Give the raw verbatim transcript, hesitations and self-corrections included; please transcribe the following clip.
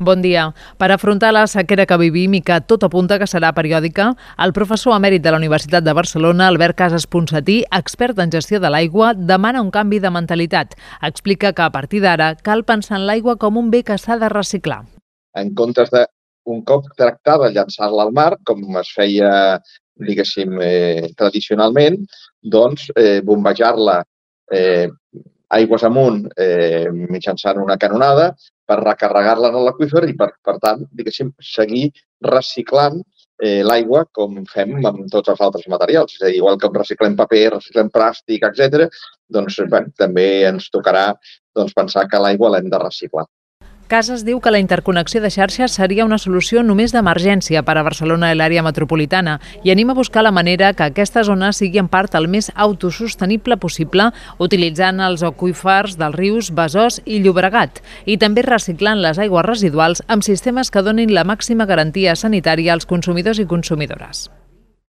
Bon dia. Per afrontar la sequera que vivim i que tot apunta que serà periòdica, el professor emèrit de la Universitat de Barcelona, Albert Casas Ponsatí, expert en gestió de l'aigua, demana un canvi de mentalitat. Explica que a partir d'ara cal pensar en l'aigua com un bé que s'ha de reciclar. En comptes de, un cop tractada, llançar-la al mar, com es feia, diguéssim, eh, tradicionalment, doncs eh, bombejar-la eh, aigües amunt eh, mitjançant una canonada per recarregar-la en l'aqüífer i, per, per tant, diguéssim, seguir reciclant eh, l'aigua com fem amb tots els altres materials. És a dir, igual que reciclem paper, reciclem plàstic, etcètera, doncs bé, també ens tocarà doncs, pensar que l'aigua l'hem de reciclar. Casas diu que la interconnexió de xarxes seria una solució només d'emergència per a Barcelona i l'àrea metropolitana i anima a buscar la manera que aquesta zona sigui en part el més autosostenible possible, utilitzant els aqüífers dels rius Besòs i Llobregat i també reciclant les aigües residuals amb sistemes que donin la màxima garantia sanitària als consumidors i consumidores.